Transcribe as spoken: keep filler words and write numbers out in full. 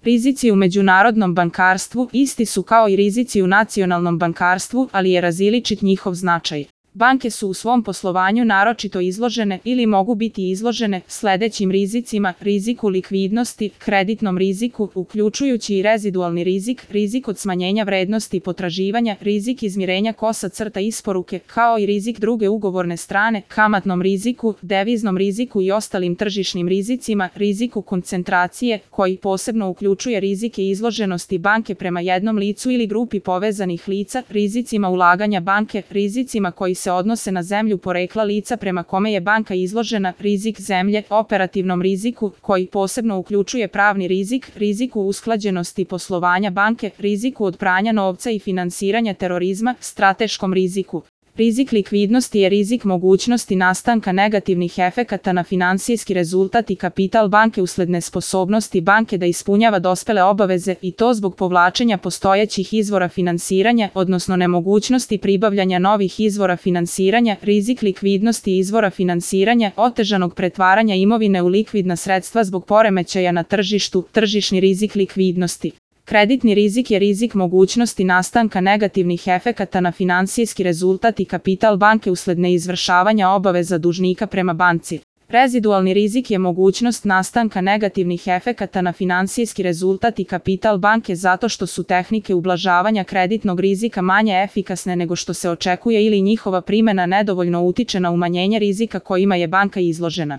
Rizici u međunarodnom bankarstvu isti su kao i rizici u nacionalnom bankarstvu, ali je različit njihov značaj. Banke su u svom poslovanju naročito izložene ili mogu biti izložene sledećim rizicima: riziku likvidnosti, kreditnom riziku, uključujući i rezidualni rizik, rizik od smanjenja vrednosti potraživanja, rizik izmirenja kosa crta isporuke, kao i rizik druge ugovorne strane, kamatnom riziku, deviznom riziku i ostalim tržišnim rizicima, riziku koncentracije, koji posebno uključuje rizike izloženosti banke prema jednom licu ili grupi povezanih lica, rizicima ulaganja banke, rizicima koji se odnose na zemlju porekla lica prema kome je banka izložena, rizik zemlje, operativnom riziku, koji posebno uključuje pravni rizik, riziku usklađenosti poslovanja banke, riziku od pranja novca i finansiranja terorizma, strateškom riziku. Rizik likvidnosti je rizik mogućnosti nastanka negativnih efekata na finansijski rezultat i kapital banke usled nesposobnosti banke da ispunjava dospele obaveze, i to zbog povlačenja postojećih izvora finansiranja, odnosno nemogućnosti pribavljanja novih izvora finansiranja, rizik likvidnosti izvora finansiranja, otežanog pretvaranja imovine u likvidna sredstva zbog poremećaja na tržištu, tržišni rizik likvidnosti. Kreditni rizik je rizik mogućnosti nastanka negativnih efekata na finansijski rezultat i kapital banke usled neizvršavanja obaveza dužnika prema banci. Rezidualni rizik je mogućnost nastanka negativnih efekata na finansijski rezultat i kapital banke zato što su tehnike ublažavanja kreditnog rizika manje efikasne nego što se očekuje ili njihova primena nedovoljno utiče na umanjenje rizika kojima je banka izložena.